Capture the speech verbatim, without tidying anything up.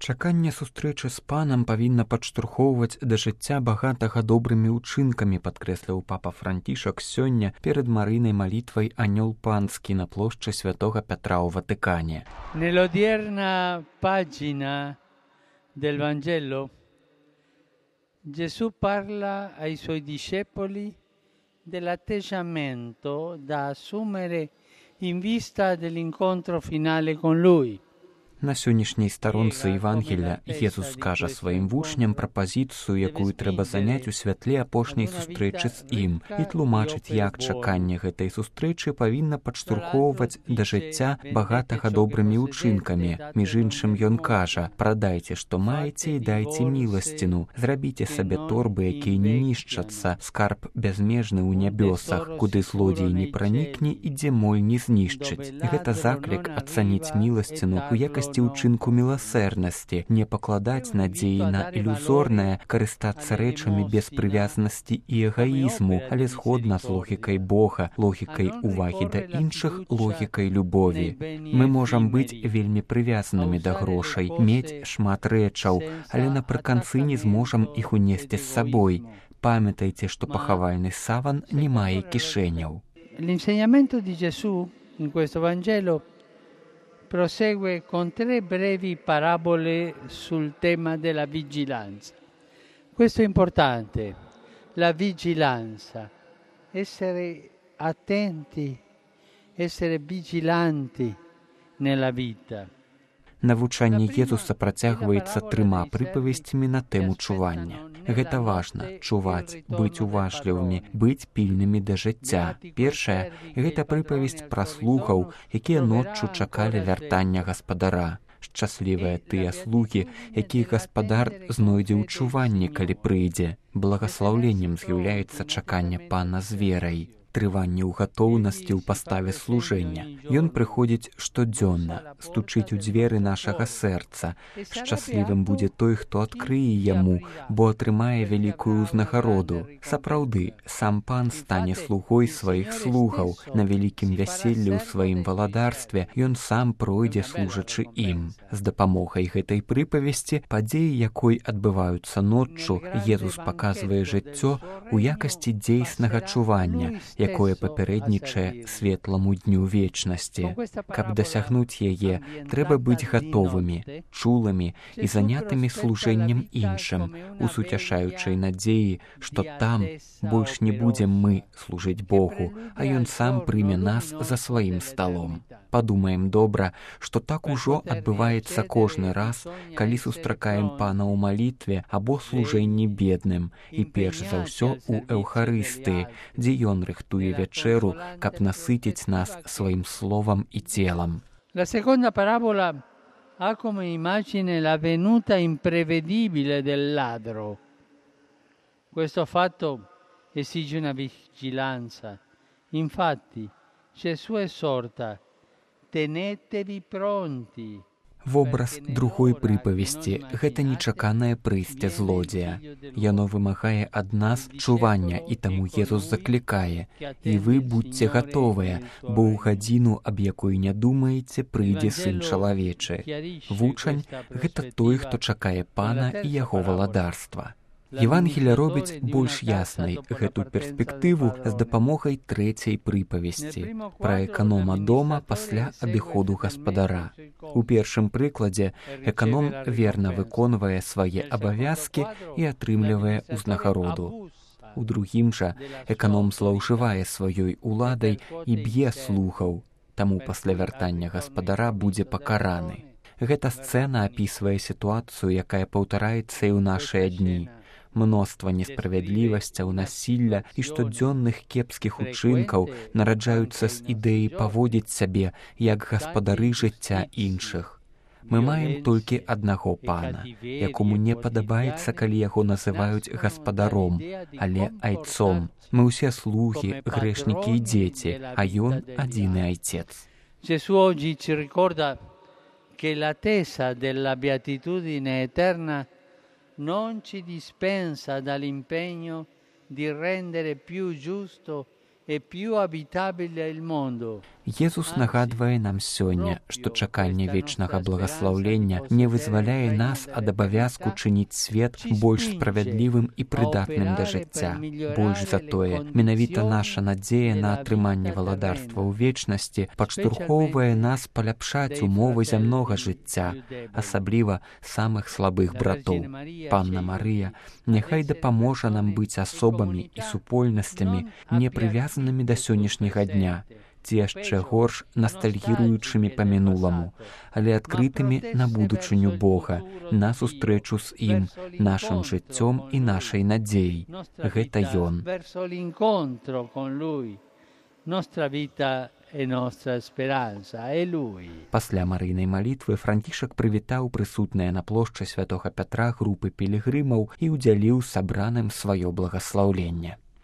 Чаканне сустрэчы з панам павінна падштурхоўваць да жыцця багатага добрымі ўчынкамі, падкрэсліў папа Францішак сёння перад марыйнай малітвай «Анёл панскі» на плошчы святога Пятра ў Ватыкане. Nell'odierna pagina del Vangelo Gesù parla ai suoi discepoli dell'atteggiamento da assumere in vista dell'incontro finale con Lui. На сённяшняй старонцы Евангелія Езус скажа сваім вучням пра пазіцыю, якую трэба заняць у святле апошняй сустрэчы з ім, і тлумачыць, як чаканне гэтай сустрэчы павінна падштурхоўваць да жыцця багатага добрымі ўчынкамі. Між іншым ён кажа: «Прадайце, што маеце, і дайце міласціну. Зрабіце сабе торбы, якія не нішчацца, скарб бязмежны ў нябёсах, куды злодзей не пранікне і дзе моль не знішчыць». Гэта заклік ацаніць міласціну у якасці ўчынку міласэрнасці, не пакладаць надзеі на ілюзорнае, карыстацца рэчамі без прывязанасці і эгаізму, але згодна з логікай Бога, логікай увагі да іншых, логікай любові. Мы можам быць вельмі прывязанымі да грошай, мець шмат рэчаў, але напрыканцы не зможам іх унесці з сабой. Памятайце, што пахавальны саван не мае кішэняў. L'insegnamento di Gesù in questo Vangelo prosegue con tre brevi parabole sul tema della vigilanza. Questo è importante, la vigilanza, essere attenti, essere vigilanti nella vita. Навучанне Езуса працягваецца трыма прыпавесцямі на тэму чування. Гэта важна — чуваць, быць уважлівымі, быць пільнымі да жыцця. Першая — гэта прыпавесць пра слугаў, якія ноччу чакалі вяртання гаспадара. Шчаслівыя тыя слугі, якіх гаспадар знойдзе ў чуванні, калі прыйдзе. Благаслаўленнем з'яўляецца чаканне пана з верай. Трыванне ў гатоўнасці ў паставе служэння. Ён прыходзіць штодзённа, стучыць у дзверы нашага сэрца. Шчаслівым будзе той, хто адкрые яму, бо атрымае вялікую ўзнагароду. Сапраўды, сам пан стане слугой сваіх слугаў. На вялікім вяселлі ў сваім валадарстве ён сам пройдзе, служачы ім. З дапамогай гэтай прыпавесці, падзеі якой адбываюцца ноччу, Езус паказвае жыццё ў якасці дзейснага чування, якое папярэднічае светламу дню вечнасці. Каб дасягнуць яе, трэба быць гатовымі, чулымі і занятымі служэннем іншым, у суцяшаючай надзеі, што там больш не будзем мы служыць Богу, а Ён сам прыме нас за сваім сталом. Падумаем добра, што так ужо адбываецца кожны раз, калі сустракаем пана ў малітве або служэнні бедным, і перш за ўсё у Эўхарыстыі, дзе ён рыхтуе вечеру, каб насытіць нас сваім словам і телом. La seconda parabola ha come immagine la venuta imprevedibile del ladro. Questo fatto esige una vigilanza. Infatti, Gesù esorta: tenetevi pronti. Вобраз другой прыпавесці — гэта нечаканае прыйсце злодзея. Яно вымагае ад нас чування, і таму Езус заклікае: «І вы будьце гатовыя, бо ў гадзіну, аб якой не думаеце, прыйдзе Сын чалавечы». Вучань — гэта той, хто чакае пана і яго валадарства. Евангелие робіць больш яснай гэту перспектыву з дапамогай трэцяй прыпавесці пра эканома дома пасля адыходу гаспадара. У першым прыкладзе эканом верна выконвае свае абавязкі і атрымлівае ўзнагароду. У другім жа эканом злоўжывае сваёй уладай і б'е слугаў, таму пасля вяртання гаспадара будзе пакараны. Гэта сцэна апісвае сітуацыю, якая паўтараецца і ў нашыя дні. Мноства несправядлівасцяў, насілля і штодзённых кепскіх учынкаў нараджаюцца з ідэі паводзіць сябе як гаспадары жыцця іншых. Мы маем толькі аднаго пана, якому не падабаецца, калі яго называюць гаспадаром, але айцом. Мы ўсе слугі, грэшнікі і дзеці, а ён адзіны айцец. Gesù oggi ci ricorda che l'attesa della beatitudine eterna non ci dispensa dall'impegno di rendere più giusto e più abitabile il mondo. Езус нагадвае нам сёння, што чаканне вечнага благаслаўлення не вызваляе нас ад абавязку чыніць свет больш справядлівым і прыдатным да жыцця. Больш за тое, менавіта наша надзея на атрыманне валадарства ў вечнасці падштурхоўвае нас паляпшаць умовы зямнога жыцця, асабліва самых слабых братоў. Панна Марыя, няхай дапаможа нам быць асобамі і супольнасцямі, не прывязанымі да сённяшняга дня, ці яшчэ горш настальгіруючымі па мінуламу, але адкрытымі на будучыню Бога, на сустрэчу з ім, нашым жыццём і нашай надзеяй. Гэта Ён. Пасля марыйнай малітвы Францішак прывітаў прысутныя на плошчы святога Пятра групы пілігрымаў і ўдзяліў сабраным сваё благаслаўленне.